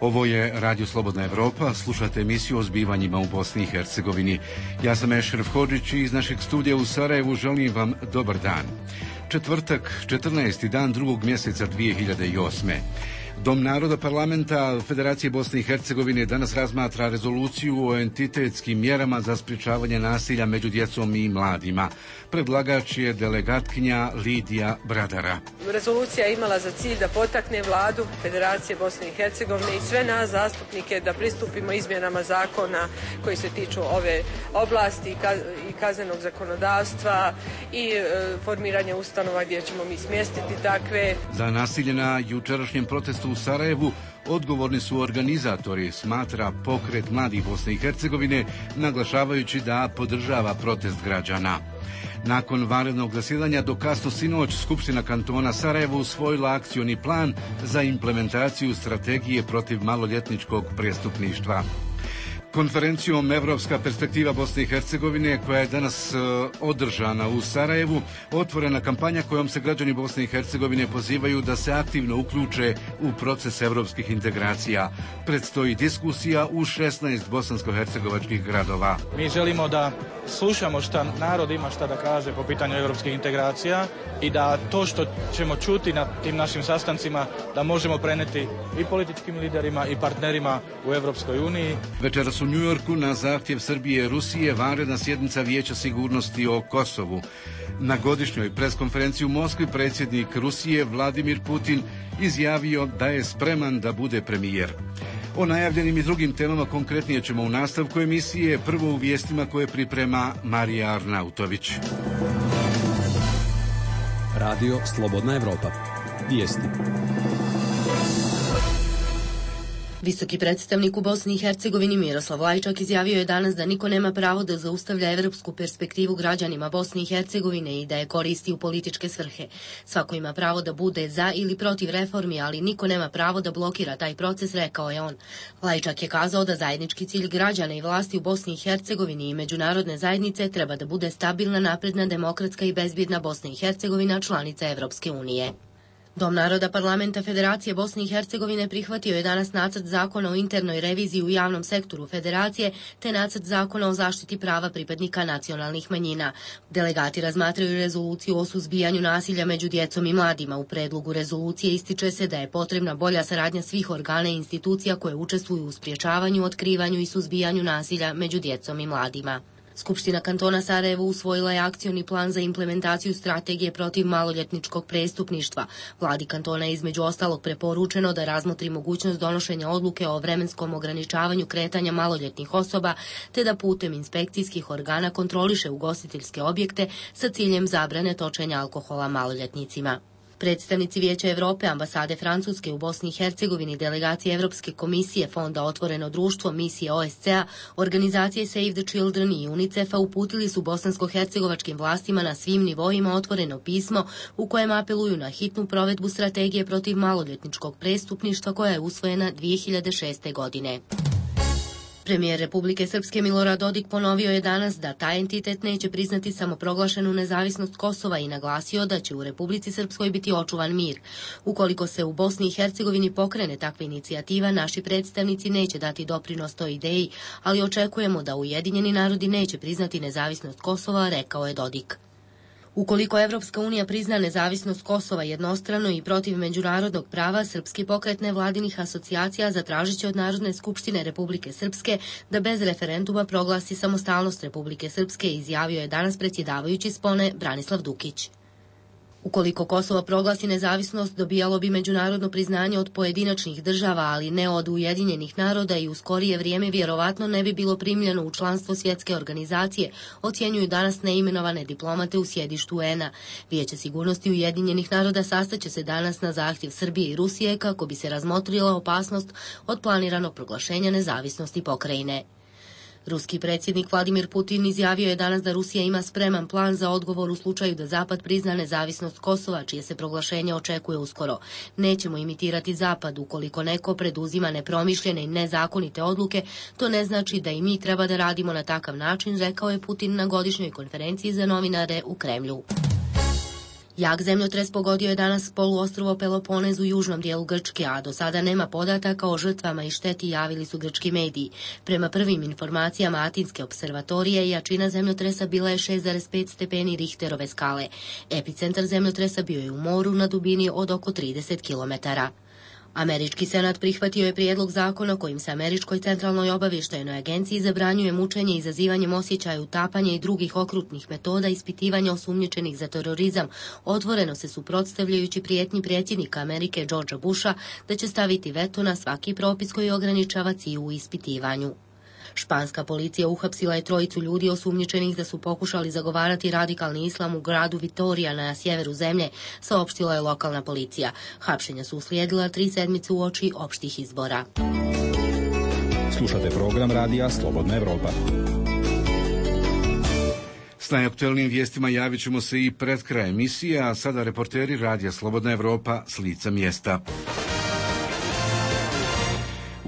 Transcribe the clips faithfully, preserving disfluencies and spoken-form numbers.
Ovo je Radio Slobodna Evropa, slušate emisiju o zbivanjima u Bosni i Hercegovini. Ja sam Ešref Hodžić i iz našeg studija u Sarajevu želim vam dobar dan. Četvrtak, četrnaesti dan drugog mjeseca dvije hiljade osme. Dom naroda parlamenta Federacije Bosne i Hercegovine danas razmatra rezoluciju o entitetskim mjerama za sprječavanje nasilja među djecom i mladima. Predlagač je delegatkinja Lidija Bradara. Rezolucija je imala za cilj da potakne vladu Federacije Bosne i Hercegovine i sve nas zastupnike da pristupimo izmjenama zakona koji se tiču ove oblasti i kaznenog zakonodavstva i e, formiranje ustanova gdje ćemo mi smjestiti takve. Za nasilje na jučerašnjem protestu u Sarajevu odgovorni su organizatori, smatra Pokret mladih Bosne i Hercegovine, naglašavajući da podržava protest građana. Nakon vanrednog zasjedanja do kasno sinoć Skupština kantona Sarajevo usvojila akcioni plan za implementaciju strategije protiv maloljetničkog prestupništva. Konferencijom Evropska perspektiva Bosne i Hercegovine, koja je danas uh, održana u Sarajevu, otvorena kampanja kojom se građani Bosne i Hercegovine pozivaju da se aktivno uključe u proces evropskih integracija. Predstoji diskusija u šesnaest bosansko-hercegovačkih gradova. Mi želimo da slušamo šta narod ima šta da kaže po pitanju evropskih integracija i da to što ćemo čuti na tim našim sastancima da možemo preneti i političkim liderima i partnerima u Evropskoj uniji. Večeras u Njujorku na zahtjev Srbije i Rusije vanredna sjednica Vijeća sigurnosti o Kosovu. Na godišnjoj preskonferenciji u Moskvi predsjednik Rusije Vladimir Putin izjavio da je spreman da bude premijer. O najavljenim i drugim temama konkretnije ćemo u nastavku emisije, prvo u vijestima koje priprema Marija Arnautović. Radio Slobodna Evropa. Vijesti. Visoki predstavnik u Bosni i Hercegovini Miroslav Lajčak izjavio je danas da niko nema pravo da zaustavlja evropsku perspektivu građanima Bosne i Hercegovine i da je koristi u političke svrhe. Svako ima pravo da bude za ili protiv reformi, ali niko nema pravo da blokira taj proces, rekao je on. Lajčak je kazao da zajednički cilj građana i vlasti u Bosni i Hercegovini i međunarodne zajednice treba da bude stabilna, napredna, demokratska i bezbjedna Bosna i Hercegovina, članica Evropske unije. Dom naroda parlamenta Federacije Bosne i Hercegovine prihvatio je danas nacrt zakona o internoj reviziji u javnom sektoru Federacije te nacrt zakona o zaštiti prava pripadnika nacionalnih manjina. Delegati razmatraju rezoluciju o suzbijanju nasilja među djecom i mladima. U predlogu rezolucije ističe se da je potrebna bolja saradnja svih organa i institucija koje učestvuju u sprječavanju, otkrivanju i suzbijanju nasilja među djecom i mladima. Skupština kantona Sarajevo usvojila je akcioni plan za implementaciju strategije protiv maloljetničkog prestupništva. Vladi kantona je između ostalog preporučeno da razmotri mogućnost donošenja odluke o vremenskom ograničavanju kretanja maloljetnih osoba, te da putem inspekcijskih organa kontroliše ugostiteljske objekte sa ciljem zabrane točenja alkohola maloljetnicima. Predstavnici Vijeća Evrope, ambasade Francuske u Bosni i Hercegovini, delegacije Evropske komisije, Fonda Otvoreno društvo, misije O S C A, organizacije Save the Children i UNICEF-a uputili su bosansko-hercegovačkim vlastima na svim nivoima otvoreno pismo u kojem apeluju na hitnu provedbu strategije protiv maloljetničkog prestupništva koja je usvojena dvije hiljade šeste. godine. Premijer Republike Srpske Milorad Dodik ponovio je danas da taj entitet neće priznati samoproglašenu nezavisnost Kosova i naglasio da će u Republici Srpskoj biti očuvan mir. Ukoliko se u Bosni i Hercegovini pokrene takva inicijativa, naši predstavnici neće dati doprinos toj ideji, ali očekujemo da Ujedinjeni narodi neće priznati nezavisnost Kosova, rekao je Dodik. Ukoliko Evropska unija prizna nezavisnost Kosova jednostrano i protiv međunarodnog prava, Srpski pokret nevladinih asocijacija zatražit će od Narodne skupštine Republike Srpske da bez referenduma proglasi samostalnost Republike Srpske, izjavio je danas predsjedavajući spone Branislav Dukić. Ukoliko Kosovo proglasi nezavisnost, dobijalo bi međunarodno priznanje od pojedinačnih država, ali ne od Ujedinjenih naroda i u skorije vrijeme vjerovatno ne bi bilo primljeno u članstvo svjetske organizacije, ocjenjuju danas neimenovane diplomate u sjedištu U N A. Vijeće sigurnosti Ujedinjenih naroda sastaće se danas na zahtjev Srbije i Rusije kako bi se razmotrila opasnost od planiranog proglašenja nezavisnosti pokrajine. Ruski predsjednik Vladimir Putin izjavio je danas da Rusija ima spreman plan za odgovor u slučaju da Zapad prizna nezavisnost Kosova, čije se proglašenje očekuje uskoro. Nećemo imitirati Zapad. Ukoliko neko preduzima nepromišljene i nezakonite odluke, to ne znači da i mi treba da radimo na takav način, rekao je Putin na godišnjoj konferenciji za novinare u Kremlju. Jak zemljotres pogodio je danas poluostrvo Peloponez u južnom dijelu Grčke, a do sada nema podataka o žrtvama i šteti, javili su grčki mediji. Prema prvim informacijama Atinske observatorije, jačina zemljotresa bila je šest zarez pet stepeni Richterove skale. Epicentar zemljotresa bio je u moru na dubini od oko trideset kilometara. Američki senat prihvatio je prijedlog zakona kojim se Američkoj centralnoj obavještajnoj agenciji zabranjuje mučenje izazivanjem osjećaja utapanja i drugih okrutnih metoda ispitivanja osumnjičenih za terorizam, otvoreno se suprotstavljajući prijetnji predsjednika Amerike Georgea Busha da će staviti veto na svaki propis koji ograničava C I U u ispitivanju. Španska policija uhapsila je trojicu ljudi osumnjičenih da su pokušali zagovarati radikalni islam u gradu Vitorija na sjeveru zemlje, saopštila je lokalna policija. Hapšenja su uslijedila tri sedmice uoči opštih izbora. Slušate program radija Slobodna Evropa. S najaktuelnijim vijestima javit ćemo se i pred kraj emisije, a sada reporteri radija Slobodna Evropa s lica mjesta.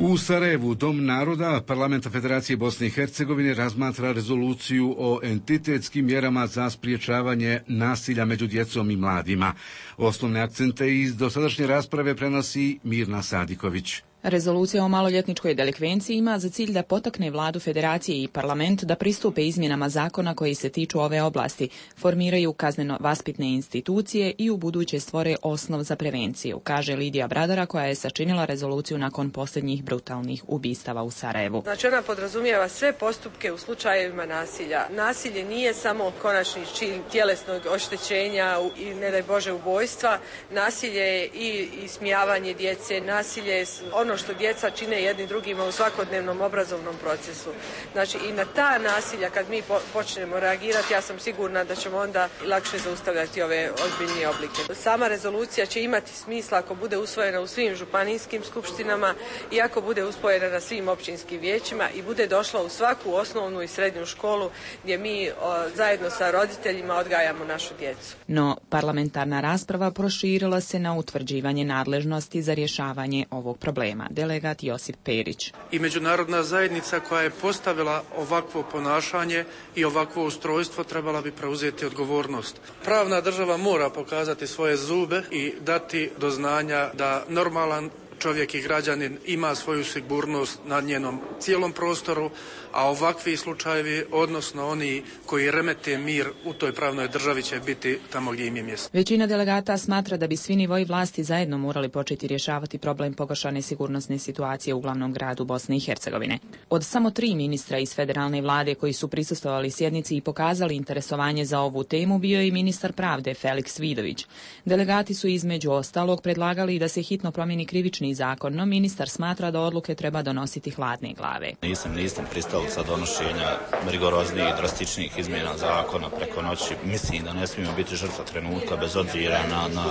U Sarajevu Dom naroda Parlamenta Federacije Bosne i Hercegovine razmatra rezoluciju o entitetskim mjerama za spriječavanje nasilja među djecom i mladima. Osnovne akcente iz dosadašnje rasprave prenosi Mirna Sadiković. Rezolucija o maloljetničkoj delikvenciji ima za cilj da potakne vladu Federacije i parlament da pristupe izmjenama zakona koji se tiču ove oblasti, formiraju kazneno-vaspitne institucije i u buduće stvore osnov za prevenciju, kaže Lidija Bradara, koja je sačinila rezoluciju nakon posljednjih brutalnih ubistava u Sarajevu. Znači ona podrazumijeva sve postupke u slučajevima nasilja. Nasilje nije samo konačni čin tjelesnog oštećenja i ne daj Bože ubojstva. Nasilje je i ismijavanje djece, nasilje je ono što djeca čine jedni drugima u svakodnevnom obrazovnom procesu. Znači i na ta nasilja kad mi po, počnemo reagirati, ja sam sigurna da ćemo onda lakše zaustavljati ove ozbiljnije oblike. Sama rezolucija će imati smisla ako bude usvojena u svim županijskim skupštinama i ako bude usvojena na svim općinskim vijećima i bude došla u svaku osnovnu i srednju školu gdje mi o, zajedno sa roditeljima odgajamo našu djecu. No, parlamentarna rasprava proširila se na utvrđivanje nadležnosti za rješavanje ovog problema. Delegat Josip Perić. I međunarodna zajednica koja je postavila ovakvo ponašanje i ovakvo ustrojstvo trebala bi preuzeti odgovornost. Pravna država mora pokazati svoje zube i dati do znanja da normalan čovjek i građanin ima svoju sigurnost na njenom cijelom prostoru, a ovakvi slučajevi, odnosno oni koji remete mir u toj pravnoj državi, će biti tamo gdje im je mjesto. Većina delegata smatra da bi svi nivoji vlasti zajedno morali početi rješavati problem pogoršane sigurnosne situacije u glavnom gradu Bosne i Hercegovine. Od samo tri ministra iz federalne vlade koji su prisustvovali sjednici i pokazali interesovanje za ovu temu bio je i ministar pravde Feliks Vidović. Delegati su između ostalog predlagali da se hitno promijeni krivični zakon, no ministar smatra da odluke treba donositi hladne glave. Nisam, nisam pristao sa donošenja rigoroznijih i drastičnih izmjena zakona preko noći. Mislim da ne smijemo biti žrtva trenutka bez obzira na, na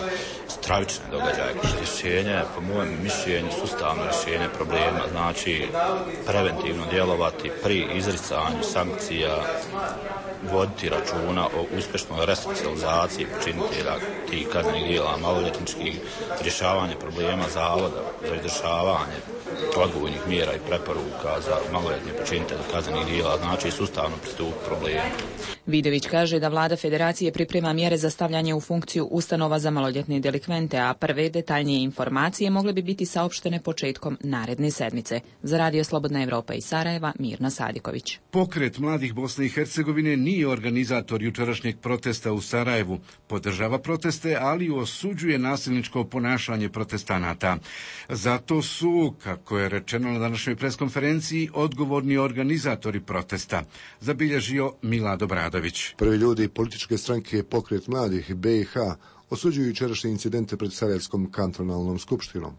stravične događaje. Rješenje, po mojem mišljenju, sustavno rješenje problema, znači preventivno djelovati pri izricanju sankcija, voditi računa o uspješnoj resocijalizaciji počinitelja tih kaznenih djela maloljetničkih, rješavanje problema zavoda za izdržavanje odgojnih mjera i preporuka za maloljetne počinitelje kaznenih djela, znači sustavno pristup problemu. Vidović kaže da vlada Federacije priprema mjere za stavljanje u funkciju ustanova za maloljetne delikvente, a prve detaljnije informacije mogle bi biti saopštene početkom naredne sedmice. Za Radio Slobodna Evropa iz Sarajeva, Mirna Sadiković. Pokret mladih Bosne i Hercegovine nije organizator jučerašnjeg protesta u Sarajevu. Podržava proteste, ali osuđuje nasilničko ponašanje protestanata. Zato su, kako je rečeno na današnjoj preskonferenciji, odgovorni organizatori protesta, zabilježio Milado Bradović. Prvi ljudi političke stranke Pokret mladih B i H osuđuju jučerašnje incidente pred Sarajevskom kantonalnom skupštinom.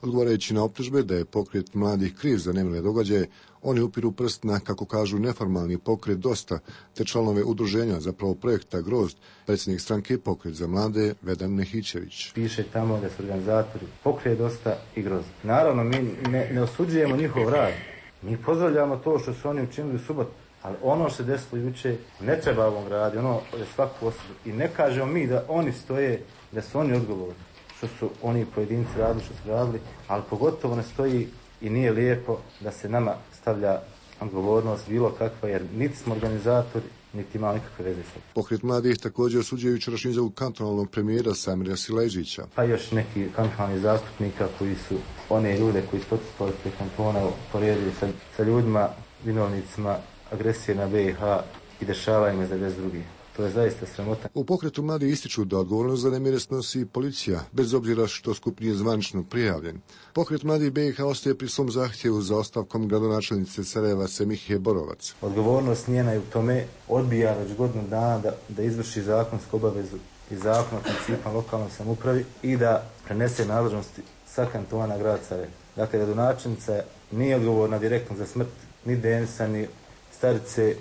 Odgovarajući na optužbe da je Pokret mladih kriv za nemile događaje, oni upiru prst na, kako kažu, neformalni pokret Dosta, te članove udruženja, zapravo projekta Grozd, predsjednik stranke Pokret za mlade Vedan Nehićević. Piše tamo da su organizatori Pokret Dosta i Grozd. Naravno, mi ne, ne osuđujemo njihov rad. Mi pozdravljamo to što su oni učinili u subotu. Ali ono što se desilo juče ne treba ovom gradu, ono je svaku osobu. I ne kažemo mi da oni stoje, da su oni odgovorni, što su oni pojedinci radili, što su radili, ali pogotovo ne stoji i nije lijepo da se nama stavlja odgovornost bilo kakva, jer niti smo organizatori, niti imao nikakve veze sa. Pokret mladih također osuđuje jučerašnju izjavu kantonalnog premijera Samira Sileđića. Pa još neki kantonalni zastupnika koji su one ljude koji su protestovali ispred kantona poredili sa, sa ljudima, vinovnicima agresije na B i H i dešavanjima za devedeset druge. To je zaista sramota. U pokretu mladi ističu da odgovornost za nemire snosi policija, bez obzira što skup nije zvanično prijavljen. Pokret mladi B i H ostaje pri svom zahtjevu za ostavkom gradonačelnice Sarajeva Semihe Borovac. Odgovornost njena je u tome, odbija već godinu dana da, da izvrši zakonsku obavezu i zakon o principima lokalnoj samoupravi i da prenese nadležnosti sa kantona na grad Sarajevo. Dakle, gradonačelnica nije odgovorna direktno za smrt ni Denisa, ni starice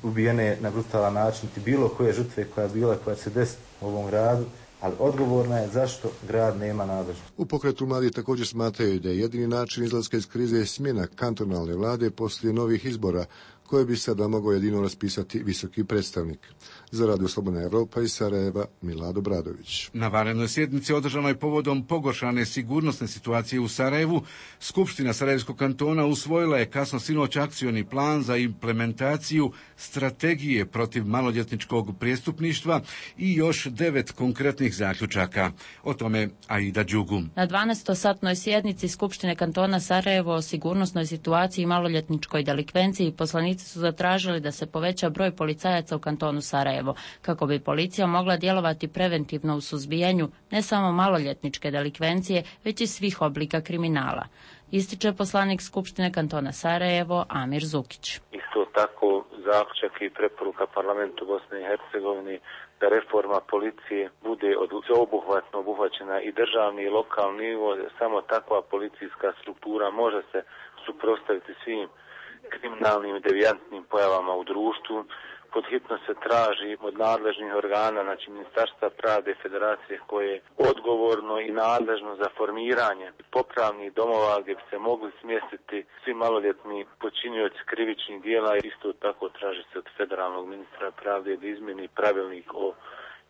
ubijene na brutalan način, ti bilo koje žrtve koja je bila, koja će se desiti u ovom gradu, ali odgovorna je zašto grad nema nadležnost. U pokretu mladi također smatraju da je jedini način izlaska iz krize smjena kantonalne vlade poslije novih izbora, koje bi sada mogao jedino raspisati visoki predstavnik. Za Radio Slobodna Evropa iz Sarajeva, Milado Bradović. Na vanrednoj sjednici održanoj povodom pogoršane sigurnosne situacije u Sarajevu, Skupština Sarajevskog kantona usvojila je kasno sinoć akcioni plan za implementaciju strategije protiv maloljetničkog prijestupništva i još devet konkretnih zaključaka. O tome Aida Đugu. Na dvanaestosatnoj sjednici Skupštine kantona Sarajevo o sigurnosnoj situaciji i maloljetničkoj delikvenciji poslanici su zatražili da se poveća broj policajaca u kantonu Sarajevo, kako bi policija mogla djelovati preventivno u suzbijanju ne samo maloljetničke delikvencije, već i svih oblika kriminala. Ističe poslanik Skupštine kantona Sarajevo Amir Zukić. Isto tako zaključak i preporuka parlamentu Bosne i Hercegovine da reforma policije bude obuhvatno obuhvaćena i državni i lokalni nivo. Samo takva policijska struktura može se suprotstaviti svim kriminalnim i devijantnim pojavama u društvu. Pod hitno se traži od nadležnih organa, znači Ministarstva pravde i Federacije, koje je odgovorno i nadležno za formiranje popravnih domova gdje bi se mogli smjestiti svi maloljetni počinioci krivičnih dijela. Isto tako traži se od federalnog ministra pravde da izmjeni pravilnik o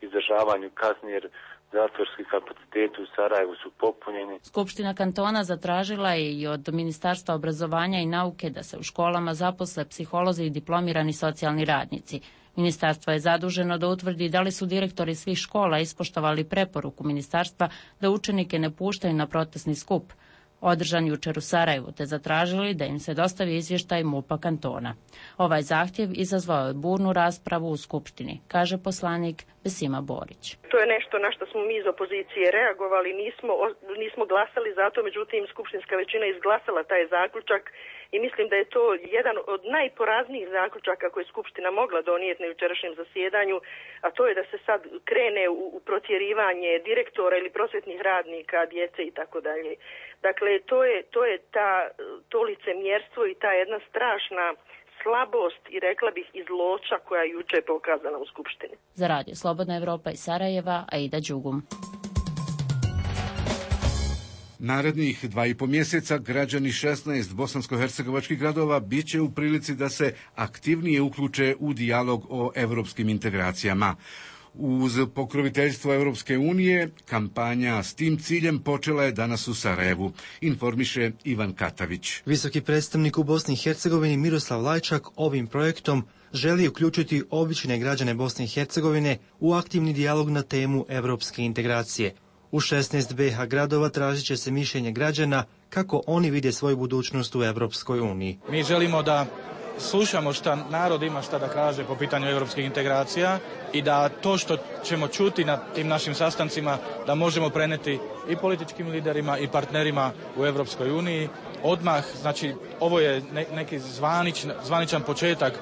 izdržavanju kazni, jer zatvorski kapaciteti u Sarajevu su popunjeni. Skupština kantona zatražila je i od Ministarstva obrazovanja i nauke da se u školama zaposle psiholozi i diplomirani socijalni radnici. Ministarstvo je zaduženo da utvrdi da li su direktori svih škola ispoštovali preporuku ministarstva da učenike ne puštaju na protestni skup, održan jučer u Sarajevu, te zatražili da im se dostavi izvještaj MUP-a kantona. Ovaj zahtjev izazvao je burnu raspravu u Skupštini, kaže poslanik Besima Borić. To je nešto na što smo mi iz opozicije reagovali, nismo, nismo glasali za to, međutim skupštinska većina izglasala taj zaključak i mislim da je to jedan od najporaznijih zaključaka koje je Skupština mogla donijeti na jučerašnjem zasjedanju, a to je da se sad krene u, u protjerivanje direktora ili prosvjetnih radnika, djece i tako dalje. Dakle, to je, to je ta, to licemjerstvo i ta jedna strašna slabost i rekla bih i zloća koja je juče pokazana u Skupštini. Za Radio Slobodna Evropa iz Sarajeva, Aida Đugum. Narednih dva i po mjeseca građani šesnaest bosansko-hercegovačkih gradova bit će u prilici da se aktivnije uključe u dijalog o evropskim integracijama. Uz pokroviteljstvo Europske unije, kampanja s tim ciljem počela je danas u Sarajevu, informiše Ivan Katavić. Visoki predstavnik u Bosni i Hercegovini Miroslav Lajčak ovim projektom želi uključiti obične građane Bosne i Hercegovine u aktivni dijalog na temu evropske integracije. U šesnaest be ha gradova tražit će se mišljenje građana kako oni vide svoju budućnost u Evropskoj uniji. Mi želimo da slušamo šta narod ima šta da kaže po pitanju europskih integracija i da to što ćemo čuti na tim našim sastancima da možemo preneti i političkim liderima i partnerima u Europskoj uniji. Odmah, znači, ovo je neki zvanič, zvaničan početak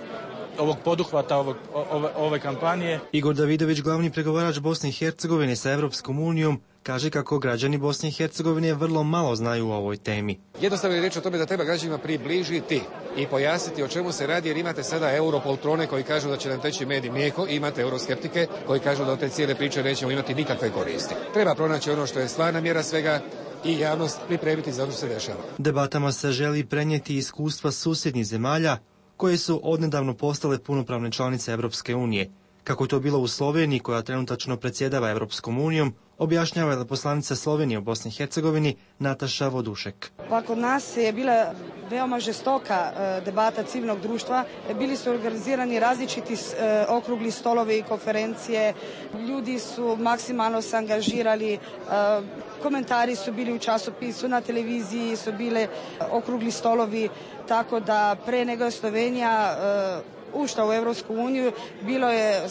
ovog poduhvata, ovog, ove, ove kampanje. Igor Davidović, glavni pregovarač Bosne i Hercegovine sa Evropskom unijom, kaže kako građani Bosne i Hercegovine vrlo malo znaju o ovoj temi. Jednostavno je riječ o tome da treba građanima približiti i pojasniti o čemu se radi, jer imate sada europoltrone koji kažu da će nam teći med i mlijeko, imate euroskeptike koji kažu da od te cijele priče nećemo imati nikakve koristi. Treba pronaći ono što je stvarna mjera svega i javnost pripremiti za ono što se dešava. Debatama se želi prenijeti iskustva susjednih zemalja koje su odnedavno postale punopravne članice Evropske unije. Kako je to bilo u Sloveniji, koja trenutačno predsjedava Evropskom unijom, objašnjava veleposlanica Slovenije u Bosni i Hercegovini Nataša Vodušek. Pa kod nas je bila veoma žestoka debata civilnog društva. Bili su organizirani različiti okrugli stolovi i konferencije. Ljudi su maksimalno se angažirali. Komentari su bili u časopisu, na televiziji su bile okrugli stolovi. Tako da pre nego je Slovenija ušla u Evropsku uniju, bilo je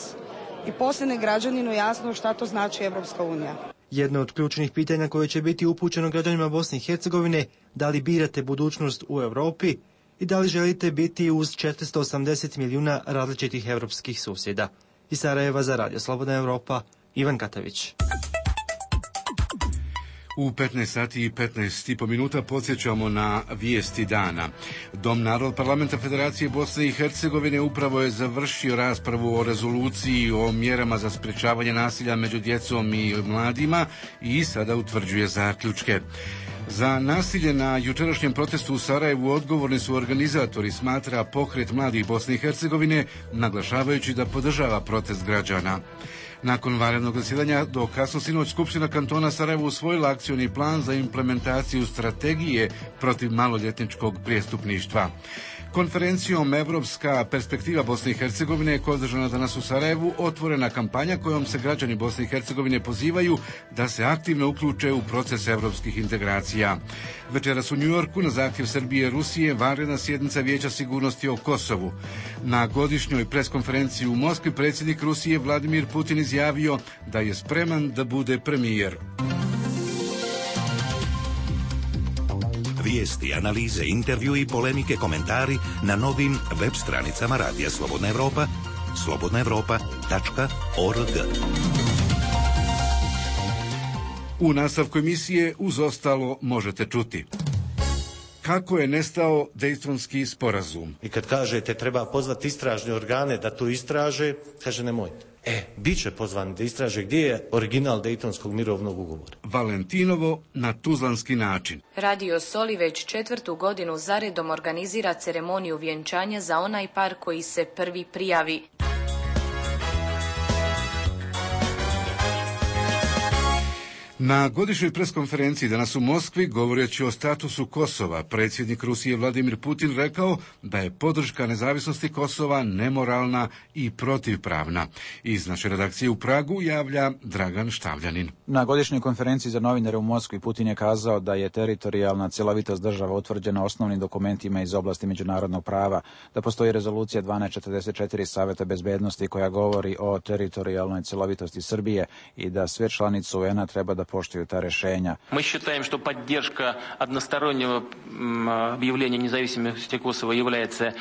i posljednje građaninu jasno šta to znači Evropska unija. Jedno od ključnih pitanja koje će biti upućeno građanima Bosne i Hercegovine, da li birate budućnost u Europi i da li želite biti uz četiristo osamdeset milijuna različitih evropskih susjeda. Iz Sarajeva za Radio Slobodna Evropa, Ivan Katavić. U petnaest sati i petnaest i po minuta podsjećamo na vijesti dana. Dom Narod parlamenta Federacije Bosne i Hercegovine upravo je završio raspravu o rezoluciji o mjerama za sprječavanje nasilja među djecom i mladima i sada utvrđuje zaključke. Za nasilje na jučerašnjem protestu u Sarajevu odgovorni su organizatori, smatra Pokret mladih Bosne i Hercegovine, naglašavajući da podržava protest građana. Nakon vanrednog zasjedanja do kasno sinoć Skupština kantona Sarajevo usvojila akcioni plan za implementaciju strategije protiv maloljetničkog prijestupništva. Konferencijom Evropska perspektiva Bosne i Hercegovine koja je održana danas u Sarajevu otvorena kampanja kojom se građani Bosne i Hercegovine pozivaju da se aktivno uključe u proces evropskih integracija. Večeras u Njujorku na zahtjev Srbije i Rusije vanredna sjednica Vijeća sigurnosti o Kosovu. Na godišnjoj preskonferenciji u Moskvi predsjednik Rusije Vladimir Putin izjavio da je spreman da bude premijer. Vijesti, analize, intervju i polemike, komentari na novim web stranicama Radija Slobodna Evropa, slobodna evropa tačka org. U nastavku emisije uz ostalo možete čuti. Kako je nestao Dejtonski sporazum? I kad kažete treba pozvati istražne organe da to istraže, kaže nemojte. E, bit će pozvani da istraže gdje je original Dejtonskog mirovnog ugovora. Valentinovo na tuzlanski način. Radio Soli već četvrtu godinu zaredom organizira ceremoniju vjenčanja za onaj par koji se prvi prijavi. Na godišnjoj preskonferenciji danas u Moskvi, govoreći o statusu Kosova, predsjednik Rusije Vladimir Putin rekao da je podrška nezavisnosti Kosova nemoralna i protivpravna. Iz naše redakcije u Pragu javlja Dragan Štavljanin. Na godišnjoj konferenciji za novinare u Moskvi Putin je kazao da je teritorijalna cjelovitost država utvrđena osnovnim dokumentima iz oblasti međunarodnog prava, da postoji rezolucija dvanaest četrdeset četiri Saveta bezbednosti koja govori o teritorijalnoj cjelovitosti Srbije i da sve članice U N-a treba da poštuju ta rješenja. Мы считаем, что поддержка одностороннего объявления независимости Косово является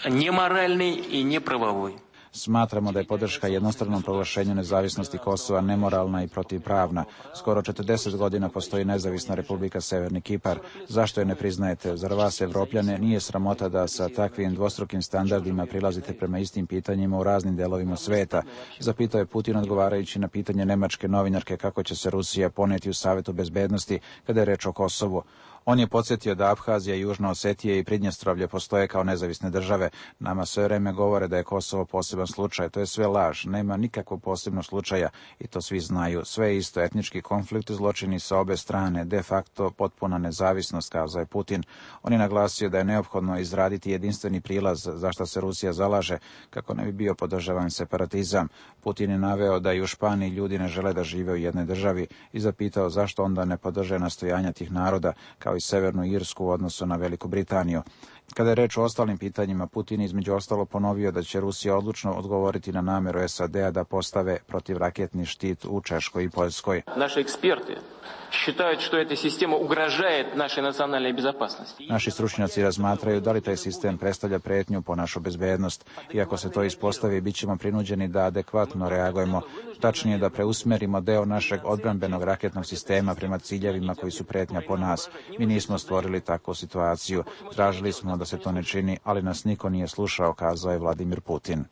неморальной и неправовой. Smatramo da je podrška jednostranom proglašenju nezavisnosti Kosova nemoralna i protivpravna. Skoro četrdeset godina postoji nezavisna Republika Severni Kipar. Zašto je ne priznajete? Zar vas, Evropljane, nije sramota da sa takvim dvostrukim standardima prilazite prema istim pitanjima u raznim delovima sveta? Zapitao je Putin odgovarajući na pitanje nemačke novinarke kako će se Rusija poneti u Savetu bezbednosti kada je reč o Kosovu. On je podsjetio da Abhazija, Južna Osetija i Pridnjestrovlje postoje kao nezavisne države. Nama sve vreme govore da je Kosovo poseban slučaj. To je sve laž. Nema nikakvog posebnog slučaja i to svi znaju. Sve je isto etnički konflikt, zločini sa obe strane, de facto potpuna nezavisnost, kazao je Putin. On je naglasio da je neophodno izraditi jedinstveni prilaz za što se Rusija zalaže kako ne bi bio podržavan separatizam. Putin je naveo da i u Španiji ljudi ne žele da žive u jednoj državi i zapitao zašto onda ne podrže nastojanja tih naroda kao i Severnu Irsku u odnosu na Veliku Britaniju. Kada je reč o ostalim pitanjima, Putin između ostalo ponovio da će Rusija odlučno odgovoriti na nameru S A D-a da postave protivraketni štit u Češkoj i Poljskoj. Naši eksperti считают, что эта система угрожает нашей национальной безопасности. Naši stručnjaci razmatraju da li taj sistem predstavlja pretnju po našu bezbednost. Iako se to ispostavi, bit ćemo prinuđeni da adekvatno reagujemo, tačnije da preusmerimo deo našeg odbrambenog raketnog sistema prema ciljevima koji su pretnja po nas. Mi nismo stvorili takvu situaciju. Tražili smo da se to ne čini, ali nas niko nije slušao, kazao je Vladimir Putin.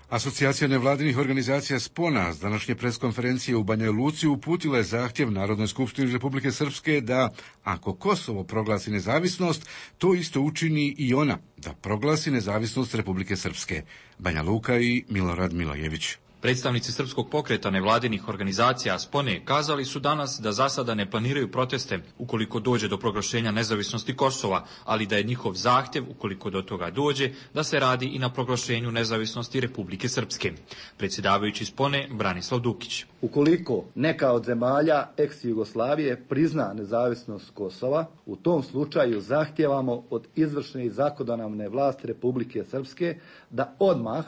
Asocijacija nevladinih organizacija Spona s današnje preskonferencije u Banja Luci uputila je zahtjev Narodnoj skupštini Republike Srpske da, ako Kosovo proglasi nezavisnost, to isto učini i ona, da proglasi nezavisnost Republike Srpske. Banja Luka i Milorad Milojević. Predstavnici Srpskog pokreta nevladinih organizacija Spone kazali su danas da za sada ne planiraju proteste ukoliko dođe do proglašenja nezavisnosti Kosova, ali da je njihov zahtjev, ukoliko do toga dođe, da se radi i na proglašenju nezavisnosti Republike Srpske. Predsjedavajući Spone Branislav Dukić. Ukoliko neka od zemalja ex-Jugoslavije prizna nezavisnost Kosova, u tom slučaju zahtijevamo od izvršne i zakonodavne vlasti Republike Srpske da odmah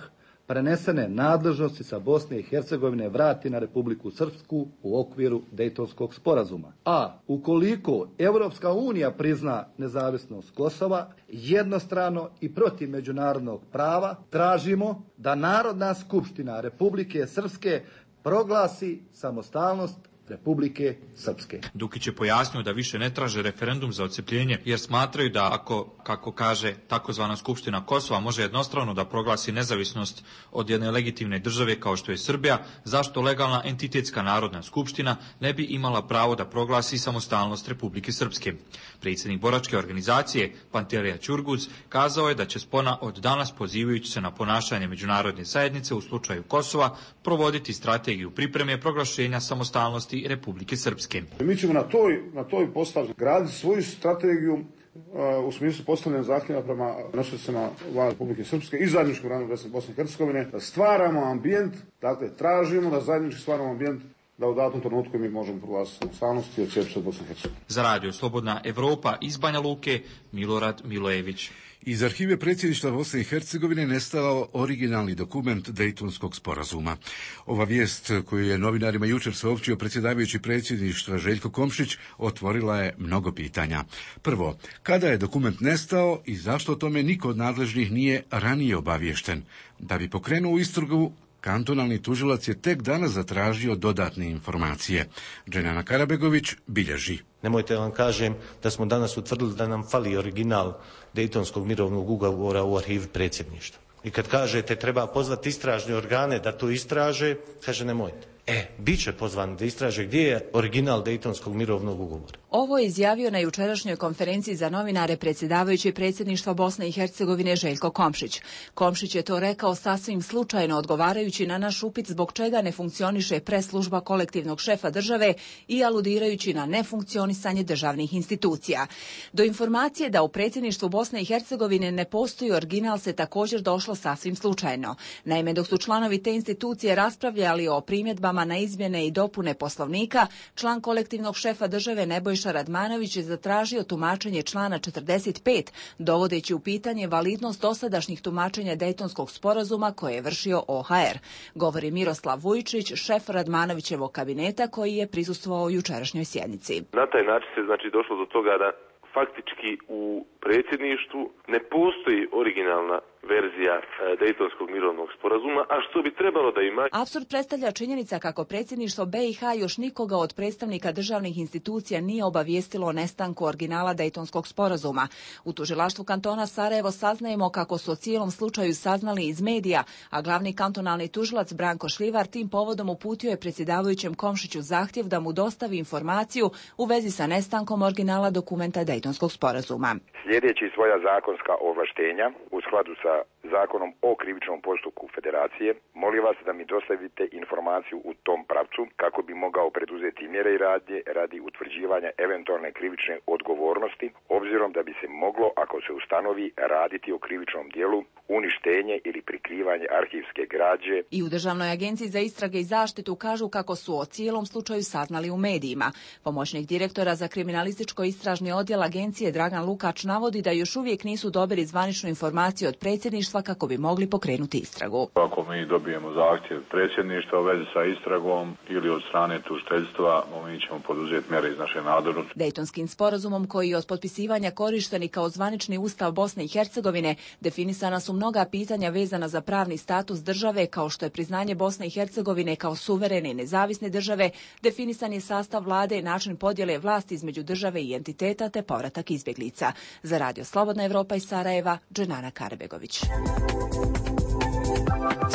prenesene nadležnosti sa Bosne i Hercegovine vrati na Republiku Srpsku u okviru Dejtonskog sporazuma. A ukoliko Europska unija prizna nezavisnost Kosova, jednostrano i protiv međunarodnog prava, tražimo da Narodna skupština Republike Srpske proglasi samostalnost Republike Srpske. Dukić je pojasnio da više ne traže referendum za odcepljenje, jer smatraju da ako, kako kaže, takozvana Skupština Kosova može jednostrano da proglasi nezavisnost od jedne legitimne države kao što je Srbija, zašto legalna entitetska Narodna skupština ne bi imala pravo da proglasi samostalnost Republike Srpske. Predsjednik boračke organizacije Pantelija Ćurguz kazao je da će Spona od danas, pozivajući se na ponašanje međunarodne zajednice u slučaju Kosova, provoditi strategiju pripreme proglašenja samostalnosti Republike Srpske. Mi ćemo na toj, na toj postavi graditi svoju strategiju uh, u smislu postavljanja zahtjeva prema nosiocima vlade Republike Srpske i zajedničkog rada Bosne i Hercegovine, da stvaramo ambijent, dakle tražimo da zajednički stvaramo ambijent da u datom trenutku mi možemo proglasiti samostalnost i odcijepiti se od Bosne i Hercegovine. Za radio Slobodna Evropa iz Banja Luke, Milorad Milojević. Iz arhive predsjedništva Bosne i Hercegovine nestao originalni dokument Dejtonskog sporazuma. Ova vijest koju je novinarima jučer saopćio predsjedavajući predsjedništva Željko Komšić otvorila je mnogo pitanja. Prvo, kada je dokument nestao i zašto o tome niko od nadležnih nije ranije obaviješten? Da bi pokrenuo istragu, kantonalni tužilac je tek danas zatražio dodatne informacije. Dženana Karabegović bilježi. Nemojte vam kažem da smo danas utvrdili da nam fali original Dejtonskog mirovnog ugovora u arhivi predsjedništva. I kad kažete treba pozvati istražne organe da to istraže, kaže nemojte. E, bit će pozvan da istraže gdje je original Dejtonskog mirovnog ugovora. Ovo je izjavio na jučerašnjoj konferenciji za novinare predsjedavajući predsjedništva Bosne i Hercegovine Željko Komšić. Komšić je to rekao sasvim slučajno odgovarajući na naš upit zbog čega ne funkcioniše preslužba kolektivnog šefa države i aludirajući na nefunkcionisanje državnih institucija. Do informacije da u predsjedništvu Bosne i Hercegovine ne postoji original se također došlo sasvim slučajno. Naime, dok su članovi te institucije raspravljali o primjedbama na izmjene i dopune Poslovnika, član kolektivnog šefa države Nebojša Radmanović je zatražio tumačenje člana četrdeset pet, dovodeći u pitanje validnost dosadašnjih tumačenja Dejtonskog sporazuma koje je vršio O H R. Govori Miroslav Vujčić, šef Radmanovićevog kabineta koji je prisustvovao jučerašnjoj sjednici. Na taj način se znači došlo do toga da faktički u predsjedništvu ne postoji originalna verzija Dejtonskog mirovnog sporazuma, a što bi trebalo da ima. Apsurd predstavlja činjenica kako predsjedništvo B i H još nikoga od predstavnika državnih institucija nije obavijestilo o nestanku originala Dejtonskog sporazuma. U tužilaštvu kantona Sarajevo saznajemo kako su o cijelom slučaju saznali iz medija, a glavni kantonalni tužilac Branko Šljivar tim povodom uputio je predsjedavajućem Komšiću zahtjev da mu dostavi informaciju u vezi sa nestankom originala dokumenta Dejtonskog sporazuma. Slijedeći svoja zakonska ovlaštenja u skladu sa Zakonom o krivičnom postupku Federacije, molim vas da mi dostavite informaciju u tom pravcu kako bi mogao preduzeti mjere i radnje radi utvrđivanja eventualne krivične odgovornosti, obzirom da bi se moglo, ako se ustanovi, raditi o krivičnom dijelu, uništenje ili prikrivanje arhivske građe. I u Državnoj agenciji za istrage i zaštitu kažu kako su o cijelom slučaju saznali u medijima. Pomoćnik direktora za kriminalističko istražni odjel agencije Dragan Lukač navodi da još uvijek nisu dobili zvaničnu informaciju od predsjedništva kako bi mogli pokrenuti istragu. Ako mi dobijemo zahtjev predsjedništva u vezi sa istragom ili od strane tužiteljstva, mi ćemo poduzeti mjere iz naše nadležnosti. Dejtonskim sporazumom koji je od potpisivanja korišteni kao zvanični ustav Bosne i Hercegovine definisana su mnoga pitanja vezana za pravni status države kao što je priznanje Bosne i Hercegovine kao suverene i nezavisne države, definisan je sastav vlade, način podjele vlasti između države i entiteta te povratak izbjeglica. Za radio Slobodna Evropa iz Sarajeva, Dženana Karabegović.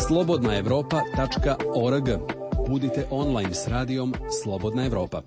slobodna evropa tačka org. Budite online s radijom Slobodna Evropa.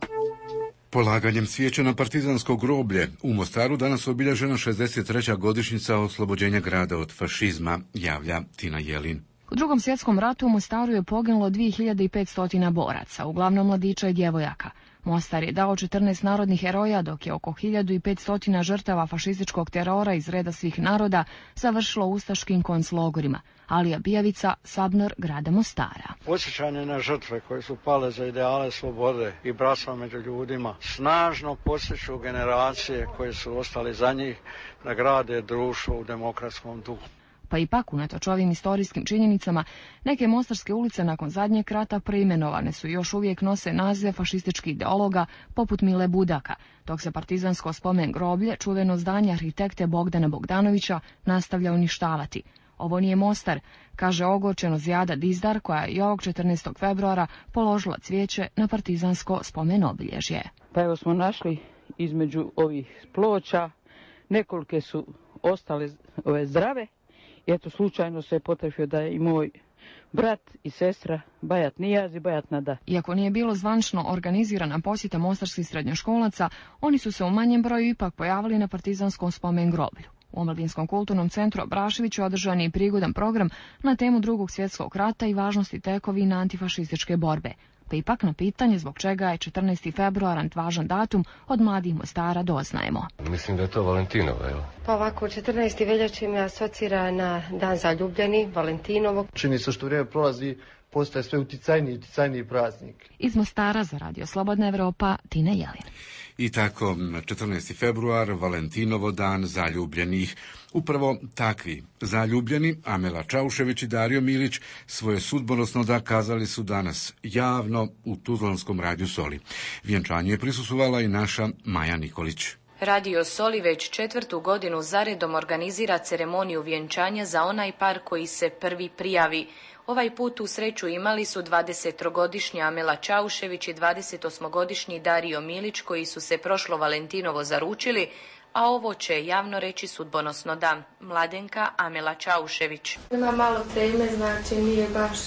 Polaganjem svijeća na partizansko groblje u Mostaru danas obilježena šezdeset treća godišnjica oslobođenja grada od fašizma, javlja Tina Jelin. U Drugom svjetskom ratu u Mostaru je poginulo dvije hiljade petsto boraca, uglavnom mladića i djevojaka. Mostar je dao četrnaest narodnih heroja, dok je oko hiljadu petsto žrtava fašističkog terora iz reda svih naroda završilo u ustaškim konclogorima. Alija Bijavica, Sabnor grada Mostara. Podsjećanje na žrtve koje su pale za ideale slobode i bratstva među ljudima snažno podsjeću generacije koje su ostale za njih da grade društvo u demokratskom duhu. Pa ipak, unatoč ovim istorijskim činjenicama, neke mostarske ulice nakon zadnjeg rata preimenovane su i još uvijek nose nazive fašističkih ideologa poput Mile Budaka, dok se partizansko spomen groblje, čuveno zdanje arhitekte Bogdana Bogdanovića, nastavlja uništavati. Ovo nije Mostar, kaže ogorčeno Zijada Dizdar, koja je i ovog četrnaestog februara položila cvijeće na partizansko spomen obilježje. Pa evo smo našli između ovih ploča, nekolike su ostale ove zdrave. I eto, slučajno se je potrefio da je i moj brat i sestra Bajat Nijaz i Bajat Nada. Iako nije bilo zvančno organizirana posjeta mostarskih srednjoškolaca, oni su se u manjem broju ipak pojavili na partizanskom spomen groblju. U Omladinskom kulturnom centru Abraševiću održan je i prigodan program na temu Drugog svjetskog rata i važnosti tekovina antifašističke borbe. Pa ipak na pitanje zbog čega je četrnaesti februar važan datum od mladih Mostara doznajemo. Mislim da je to Valentinovo, evo. Pa ovako, četrnaesti veljače me asocira na dan zaljubljeni, Valentinovo. Čini se što vrijeme prolazi, postaje sve uticajniji i uticajniji praznik. Iz Mostara za Radio Slobodna Evropa, Tina Jelin. I tako, četrnaesti februar, Valentinovo dan zaljubljenih. Upravo takvi zaljubljeni, Amela Čaušević i Dario Milić, svoje sudbonosno da kazali su danas javno u Tuzlanskom radiju Soli. Vjenčanju je prisustvovala i naša Maja Nikolić. Radio Soli već četvrtu godinu zaredom organizira ceremoniju vjenčanja za onaj par koji se prvi prijavi. Ovaj put u sreću imali su dvadesettrogodišnja Amela Čaušević i dvadesetosmogodišnji Dario Milić koji su se prošlo Valentinovo zaručili, a ovo će javno reći sudbonosno da. Mladenka Amela Čaušević. Ima malo teme, znači nije baš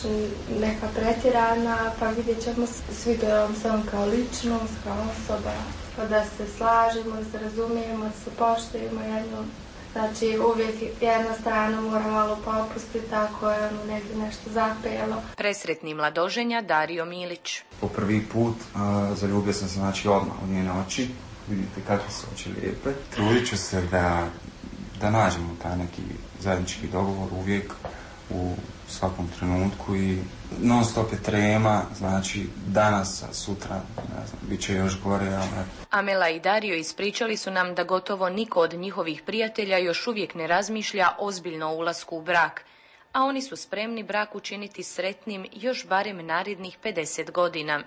neka pretjerana, pa vidjet ćemo, sviđa se on kao ličnost, kao osoba, pa da se slažemo, da se razumijemo, da se poštujemo jedno. Znači uvijek jedna strana mora malo popustiti, tako je ono negdje nešto zapelo. Presretni mladoženja Dario Milić. Po prvi put a, zaljubio sam se znači odmah u njene oči. Vidite kakve su oči lijepe. Trudit ću se da, da nađemo taj neki zajednički dogovor uvijek u svakom trenutku i non stop je trema, znači danas, sutra, ne znam, bit će još gore, ali... Amela i Dario ispričali su nam da gotovo niko od njihovih prijatelja još uvijek ne razmišlja ozbiljno o ulasku u brak, a oni su spremni brak učiniti sretnim još barem narednih pedeset godina.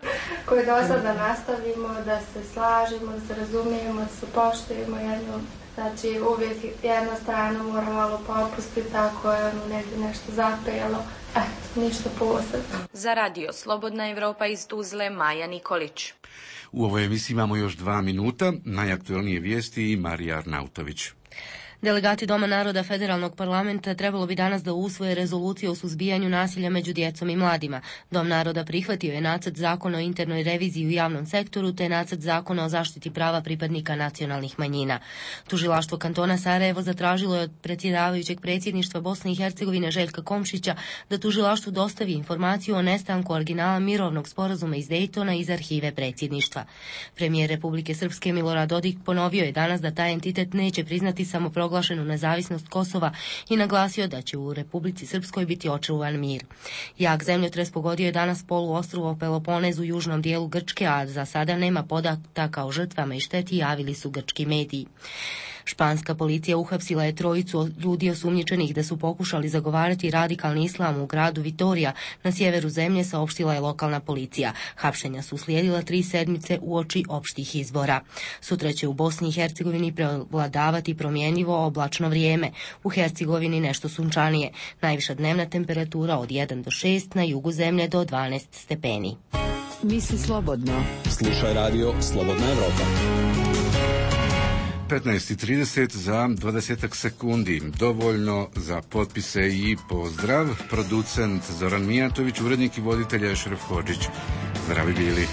Koje do sada nastavimo, da se slažemo, da se razumijemo, da se poštujemo jedno. Znači uvijek jedna strana mora malo popustiti, tako je ono negdje nešto zapelo, eh, ništa posebno. Za Radio Slobodna Evropa iz Tuzle, Maja Nikolić. U ovoj emisiji imamo još dva minuta, najaktualnije vijesti i Marija Arnautović. Delegati Doma naroda Federalnog parlamenta trebalo bi danas da usvoje rezoluciju o suzbijanju nasilja među djecom i mladima. Dom naroda prihvatio je nacrt zakona o internoj reviziji u javnom sektoru te nacrt zakona o zaštiti prava pripadnika nacionalnih manjina. Tužilaštvo kantona Sarajevo zatražilo je od predsjedavajućeg predsjedništva Bosne i Hercegovine Željka Komšića da tužilaštvu dostavi informaciju o nestanku originala mirovnog sporazuma iz Dejtona iz arhive predsjedništva. Premijer Republike Srpske Milorad Dodik ponovio je danas da taj entitet neće priznati samoproglašenu nezavisnost Kosova i naglasio da će u Republici Srpskoj biti očuvan mir. Jak zemljotres pogodio je danas poluostrvo Peloponez u južnom dijelu Grčke, a za sada nema podataka o žrtvama i šteti, javili su grčki mediji. Španska policija uhapsila je trojicu ljudi osumnjičenih da su pokušali zagovarati radikalni islam u gradu Vitorija na sjeveru zemlje, saopštila je lokalna policija. Hapšenja su slijedila tri sedmice uoči opštih izbora. Sutra će u Bosni i Hercegovini prevladavati promjenjivo oblačno vrijeme. U Hercegovini nešto sunčanije. Najviša dnevna temperatura od jedan do šest, na jugu zemlje do dvanaest stepeni. Misli slobodno. Slušaj Radio Slobodna Evropa. petnaest i trideset za dvadeset sekundi. Dovoljno za potpise i pozdrav. Producent Zoran Mijatović, urednik i voditelj Ešref Hodžić. Zdravi bili.